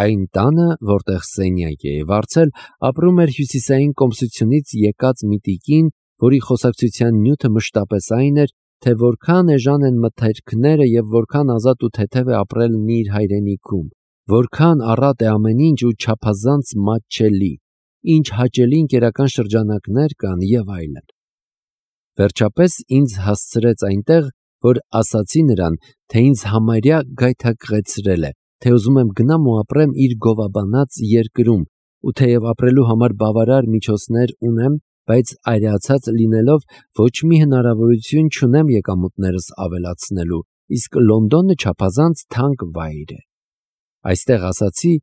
այն տանը, որտեղ սենյակ էի վարձել, ապրում էր հյուսիսային կոմսությունից եկած մի տիկին, որի խոսակցության նյութը մշտապես այն էր, թե որքան էժան են մթերքները և որքան ազատ ու թեթև է ապրելն իր հայրենիքում, որքան առատ է ամեն ինչ ու չափազանց մատչելի, ինչ հաճելի ընկերական շրջանակներ կան և այլն։ Վերջապես ինձ հասցրեց այնտեղ, որ ասացի նրան, թե ինձ համարյա գայթակղեցրել է, թե ուզում եմ գնամ ու ապրեմ իր գովաբանած երկրում, ու թեև ապրելու համար բավարար միջոցներ ունեմ, բայց այրացած լինելով ոչ մի հնարավորություն չունեմ եկամուտներս ավելացնելու, իսկ Լոնդոնը չափազանց թանկ վայր է։ Այստեղ, ասացի,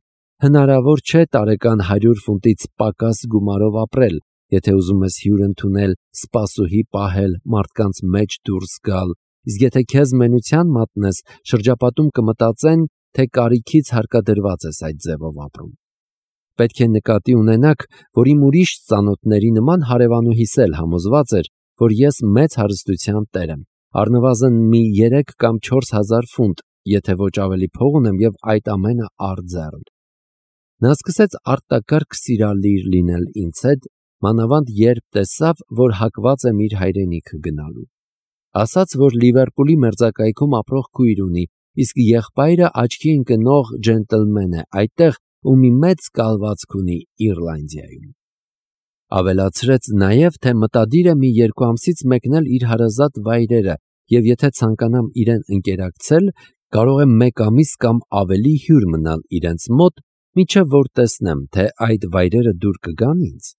հնարավոր չէ տարեկան 100 ֆունտից պակաս գումարով ապրել, եթե ուզում ես հյուր ընդունել, սպասուհի պահել, մարդկանց մեջ դուրս գալ, իսկ եթե քեզ մենության մատնես, շրջապատում կմտածեն, թե կարիքից հարկադրված ես այդ ձևով ապրում։ Պետք է նկատի ունենաք, որ իմ ուրիշ ծանոթների նման հարևանուհիս էլ համոզված էր, որ ես մեծ հարստության տեր եմ, առնվազն մի 3 կամ 4 հազար ֆունտ, եթե ոչ ավելի փող ունեմ և այդ ամենը արձեռն։ Նա սկսեց արտակարգ սիրալիր լինել ինձ հետ, մանավանդ երբ տեսավ, որ հակված եմ իր հայրենիքը գնալու։ Ասաց, որ Լիվերպուլի մերձակայքում ապրող քույր ունի, իսկ եղբայրը աչքի ընկնող ջենտլմեն է այդտեղ ու մի մեծ կալվածք ունի Իռլանդիայում։ Ավելացրեց նաև, թե մտադիր է մի 2 ամսից մեկնել իր հարազատ վայրերը և եթե ցանկանամ իրեն ընկերակցել, կարող եմ 1 ամիս կամ ավելի հյուր մնալ իրենց մոտ, մինչև որ տեսնեմ, թե այդ վայրերը դուր կգան ինձ։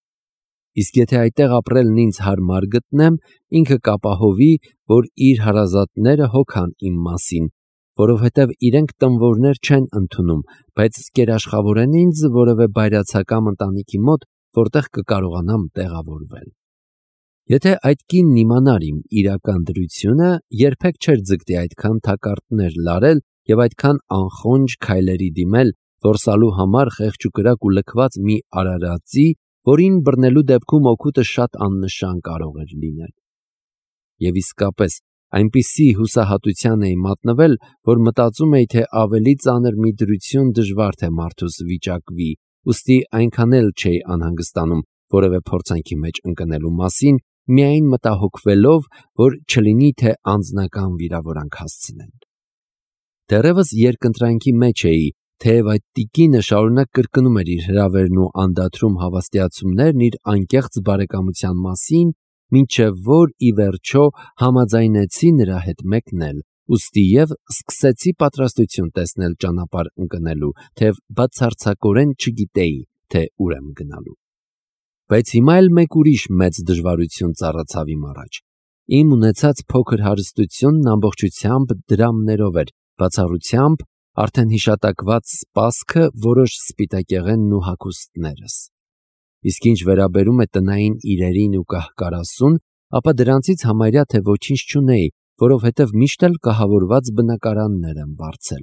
Իսկ եթե այդտեղ ապրելն ինձ հարմար գտնեմ, ինքը կապահովի, որ իր հարազատները հոգան իմ մասին, որովհետև իրենք տնվորներ չեն ընդունում, բայց կերաշխավորեն ինձ որևէ բայրացակամ ընտանիքի մոտ, որտեղ կկարողանամ տեղավորվել։ Եթե այդ կինն իմանար իմ իրական դրությունը, երբեք չէր ձգտի այդքան թակարդներ լարել և այդքան անխոնջ քայլերի դիմել, որսալու համար խեղճ ու կրակ ու լքված մի արարածի, որին բռնելու դեպքում օգուտը շատ աննշան կարող էր լինել։ Եվ իսկապես, այնպիսի հուսահատության էի մատնվել, որ մտածում էի, թե ավելի ծանր մի դրություն դժվար թե մարդուս վիճակվի, ուստի այնքան էլ չէի անհանգստանում որևէ փորձանքի մեջ ընկնելու մասին, միայն մտահոգվելով, որ չլինի թե անձնական վիրավորանք հասցնեն։ Դեռևս երկընտրանքի մեջ էի, թեև այդ տիկինը շարունակ կրկնում էր իր հրավերն ու անդադրում հավաստիացումներն իր անկեղծ բարեկամության մասին, մինչև որ ի վերջո համաձայնեցի նրա հետ մեկնել, ուստի և սկսեցի պատրաստություն տեսնել ճանապարհ ընկնելու, թեև բացարձակորեն չգիտեի, թե ուր եմ գնալու։ Բայց հիմա էլ մեկ ուրիշ մեծ դժվարություն ծառացավ իմ առաջ։ Իմ ունեցած փոքր հարստությունն ամբողջությամբ դրամներով էր, բացառությամբ արդեն հիշատակված սպասքը, որոշ սպիտակեղենն ու հագուստներս։ Իսկ ինչ վերաբերում է տնային իրերին ու կահ-կարասուն, ապա դրանցից համարյա թե ոչինչ չունեի, որովհետև միշտ էլ կահավորված բնակարաններ եմ վարձել։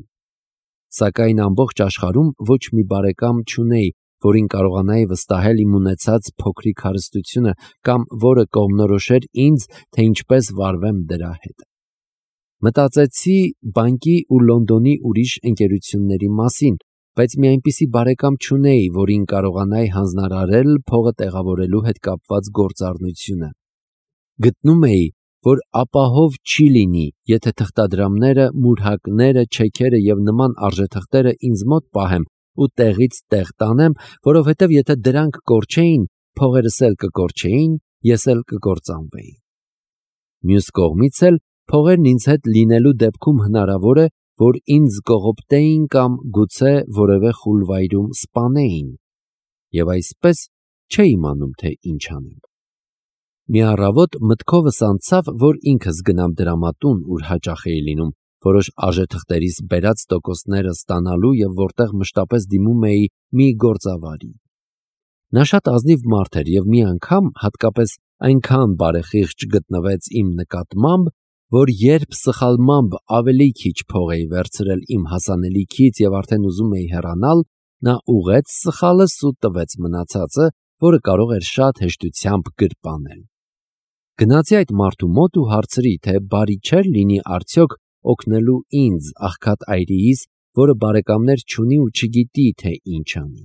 Սակայն ամբողջ աշխարհում ոչ մի բարեկամ չունեի, որին կարողանայի վստահել իմ ունեցած փոքրիկ հարստությունը կամ որը կողմնորոշեր ինձ, թե ինչպես վարվեմ դրա հետ։ Մտածեցի բանկի ու Լոնդոնի ուրիշ ընկերությունների մասին, բայց մի այնպիսի բարեկամ չունեի, որին կարողանայի հանձնարարել փողը տեղավորելու հետ կապված գործառնությունը։ Գտնում էի, որ ապահով չի լինի, եթե թղթադրամները, մուրհակները, չեքերը և նման արժեթղթերը ինձ մոտ պահեմ ու տեղից տեղ տանեմ, որովհետև եթե դրանք կորչեին, փողերս էլ կկորչեին, ես էլ կկործանվեի։ Մյուս կողմից էլ փողերն ինձ հետ լինելու դեպքում հնարավոր է, որ ինձ կողոպտեին կամ գուցե որևէ խուլ վայրում սպանեին, և այսպես չէի իմանում, թե ինչ անեմ։ Մի առավոտ մտքովս անցավ, որ ինքս գնամ դրամատուն, ուր հաճախ էի լինում, որոշ արժեթղթերիս բերած տոկոսները ստանալու և որտեղ մշտապես դիմում էի մի գործավարի։ Նա շատ ազնիվ մարդ էր և մի անգամ հատկապես այնքան բարեխիղճ գտնվեց իմ նկատմամբ, որ երբ սխալմամբ ավելի քիչ փող էի վերցրել իմ հասանելիքից և արդեն ուզում էի հեռանալ, նա ուղղեց սխալս ու տվեց մնացածը, որը կարող էր շատ հեշտությամբ գրպանել։ Գնացի այդ մարդու մոտ ու հարցրի, թե բարի չէր լինի արդյոք օգնելու ինձ աղքատ այրիիս որը բարեկամներ չունի ու չգիտի, թե ինչ անի։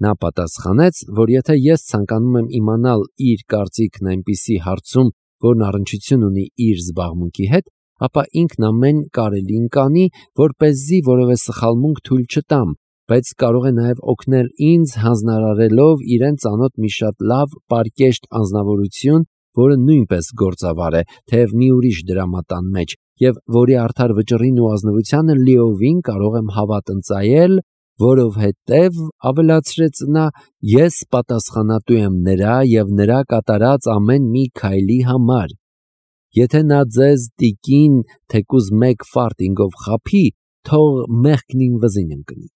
Նա պատասխանեց, որ եթե ես ցանկանում եմ իմանալ իր կարծիքն այնպիսի հարցում, որն առնչություն ունի իր զբաղմունքի հետ, ապա ինքն ամեն կարելին կանի, որպեսզի որևէ սխալմունք թույլ չտամ, բայց կարող է նաև օգնել ինձ հանձնարարելով իրեն ծանոթ մի շատ լավ պարկեշտ անձնավորություն, որը նույնպես գործավար է, թեև մի ուրիշ դրամատան մեջ, եւ որի արդար վճռին ու ազնվությանը լիովին կարող եմ հավատ ընծայել, որովհետև, ավելացրեց նա, ես պատասխանատու եմ նրա եւ նրա կատարած ամեն մի քայլի համար։ Եթե նա ձեզ տիկին թեկուզ մեկ ֆարտինգով խափի, թող մեղքնին վզին ընկնի։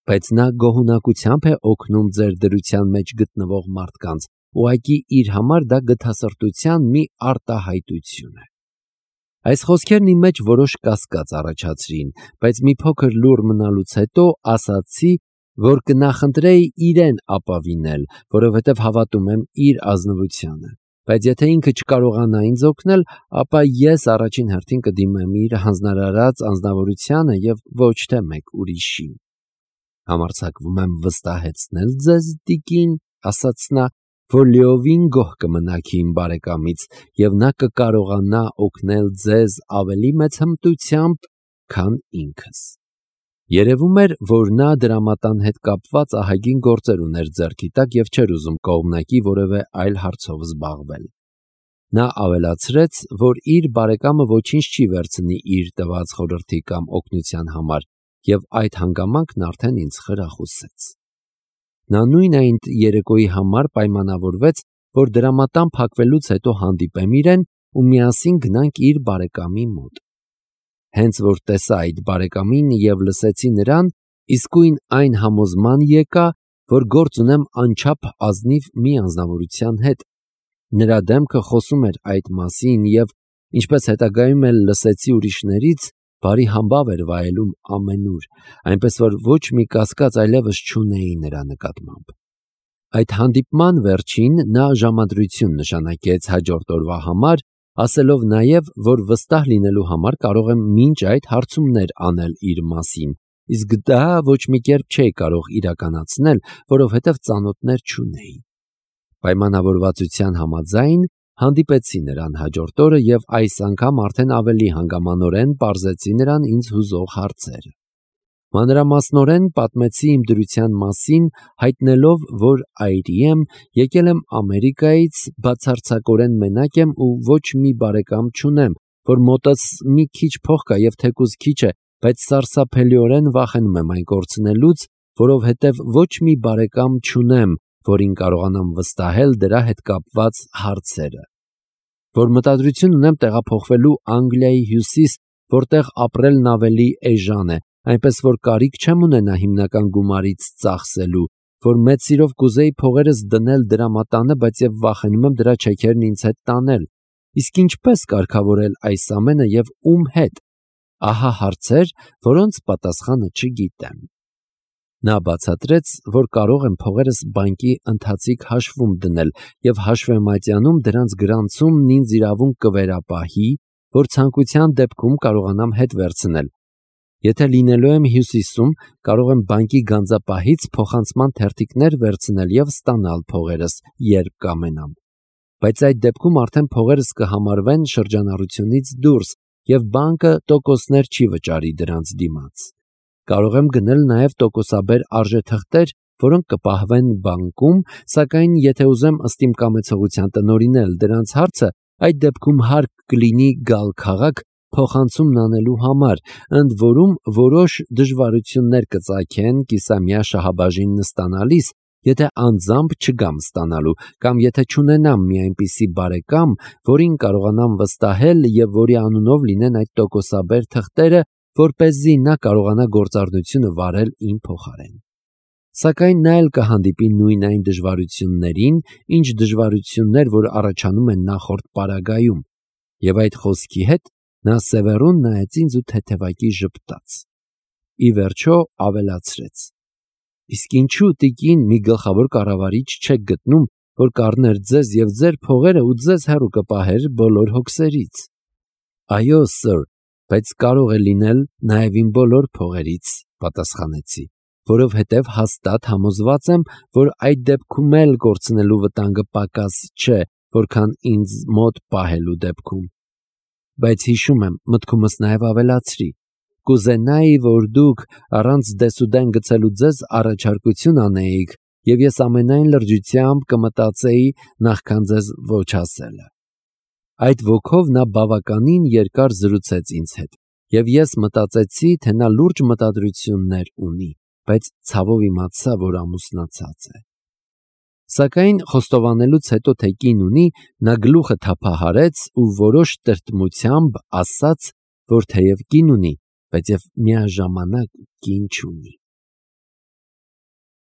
Բայց նա գոհունակությամբ է օգնում ձեր դրության մեջ գտնվող մարդկանց, ուղղակի իր համար դա գթասրտության մի արտահայտություն է։ Այս խոսքերն իմ մեջ որոշ կասկած առաջացրին, բայց մի փոքր լուռ մնալուց հետո ասացի, որ կնախընտրեի իրեն ապավինել, որովհետև հավատում եմ իր ազնվությանը, բայց եթե ինքը չկարողանա ինձ օգնել, ապա ես առաջին հերթին կդիմեմ իր հանձնարարած անձնավորությանը եւ ոչ թե մեկ ուրիշին։ Համարձակվում եմ վստահեցնել ձեզ, տիկին, ասաց նա, որ լիովին գոհ կմնաք իմ բարեկամից եւ նա կկարողանա օգնել ձեզ ավելի մեծ հմտությամբ, քան ինքս։ Երևում էր, որ նա դրամատան հետ կապված ահագին գործեր ուներ ձեռքի տակ եւ չէր ուզում կողմնակի որևէ այլ հարցով զբաղվել։ Նա ավելացրեց, որ իր բարեկամը ոչինչ չի վերցնի իր տված խորհրդի կամ օգնության համար եւ այդ հանգամանքն արդեն ինձ խրախուսեց։ Նա նույն այն երեկոյի համար պայմանավորվեց, որ դրամատան փակվելուց հետո հանդիպեմ իրեն ու միասին գնանք իր բարեկամի մոտ։ Հենց որ տեսա այդ բարեկամին եւ լսեցի նրան, իսկույն այն համոզման եկա, որ գործ ունեմ անչափ ազնիվ մի անձնավորության հետ։ Նրա դեմքը խոսում էր այդ մասին եւ, ինչպես հետագայում էլ լսեցի ուրիշներից, բարի համբավ էր վայելում ամենուր, այնպես որ ոչ մի կասկած այլևս չունեի նրա նկատմամբ։ Այդ հանդիպման վերջին նա ժամադրություն նշանակեց հաջորդ օրվա համար, ասելով նաև, որ վստահ լինելու համար կարող եմ մինչ այդ հարցումներ անել իր մասին, իսկ դա ոչ մի կերպ չէի կարող իրականացնել, որովհետև ծանոթներ չունեի։ Պայմանավորվածության համաձայն հանդիպեցի նրան հաջորդ օրը եւ այս անգամ արդեն ավելի հանգամանորեն պարզեցի նրան ինձ հուզող հարցերը։ Մանրամասնորեն պատմեցի իմ դրության մասին, հայտնելով, որ այրի եմ, եկել եմ Ամերիկայից, բացարձակորեն մենակ եմ ու ոչ մի բարեկամ չունեմ, որ մոտս մի քիչ փող կա եւ թեկուզ քիչ է, բայց սարսափելիորեն վախենում եմ այն կորցնելուց, որովհետեւ ոչ մի բարեկամ չունեմ, որին կարողանամ վստահել դրա հետ կապված հարցերը, որ մտադրություն ունեմ տեղափոխվելու Անգլիայի հյուսիս, որտեղ ապրելն ավելի էժան է, այնպես որ կարիք չեմ ունենա հիմնական գումարից ծախսելու, որ մեծ սիրով կուզեի փողերս դնել դրամատանը, բայց եւ վախենում եմ դրա չեքերն ինձ հետ տանել։ Իսկ ինչպես կարգավորել այս ամենը եւ ում հետ։ Ահա հարցեր, որոնց պատասխանը չգիտեմ։ Նա բացատրեց, որ կարող եմ փողերս բանկի ընթացիկ հաշվում դնել եւ հաշվեմատյանում դրանց գրանցումն ինձ իրավունք կվերապահի, որ ցանկության դեպքում կարողանամ հետ վերցնել։ Եթե լինելու եմ հյուսիսում, կարող եմ բանկի գանձապահից փոխանցման թերթիկներ վերցնել եւ ստանալ փողերս, երբ կամենամ։ Բայց այդ դեպքում արդեն փողերս կհամարվեն շրջանառությունից դուրս եւ բանկը տոկոսներ չի վճարի դրանց դիմաց։ Կարող եմ գնել նաև տոկոսաբեր արժեթղթեր, որոնք կպահվեն բանկում, սակայն եթե ուզեմ ըստ իմ կամեցողության տնօրինել դրանց հարցը, այդ դեպքում հարկ կլինի գալ քաղաք փոխանցումն անելու համար, ընդ որում որոշ դժվարություններ կծագեն կիսամյա շահաբաժինն ստանալիս, եթե անձամբ չգամ ստանալու, կամ եթե չունենամ մի այնպիսի բարեկամ, որին կարողանամ վստահել եւ որի անունով լինեն այդ տոկոսաբեր թղթերը, որպեսզի նա կարողանա գործառնությունը վարել իմ փոխարեն։ Սակայն նա էլ կհանդիպի նույն այն դժվարություններին, ինչ դժվարություններ, որ առաջանում են նախորդ պարագայում, եւ այդ խոսքի հետ նա սևեռուն նայեց ինձ ու թեթևակի ժպտաց։ Ի վերջո ավելացրեց. Իսկ ինչու տիկին մի գլխավոր կառավարիչ չեք գտնում, որ կառներ ձեզ եւ ձեր փողերը ու ձեզ հեռու կպահեր բոլոր հոգսերից։ Այո, սըր, բայց կարող է լինել նաև իմ բոլոր փողերից, պատասխանեցի, որովհետև հաստատ համոզված եմ, որ այդ դեպքում էլ կորցնելու վտանգը պակաս չէ, որքան ինձ մոտ պահելու դեպքում։ Բայց հիշում եմ, մտքումս նաև ավելացրի. կուզենայի, որ դուք առանց դեսուդեն գցելու ձեզ առաջարկություն անեիք, և ես ամենայն լրջությամբ կմտածեի նախքան ձեզ ոչ ասելը։ Այդ ոգով նա բավականին երկար զրուցեց ինձ հետ, և ես մտածեցի, թե նա լուրջ մտադրություններ ունի, բայց ցավով իմացա, որ ամուսնացած է։ Սակայն խոստովանելուց հետո, թե կին ունի, նա գլուխը թափահարեց ու որոշ տրտմությամբ ասաց, որ թեև կին ունի, բայց և միաժամանակ կին չունի։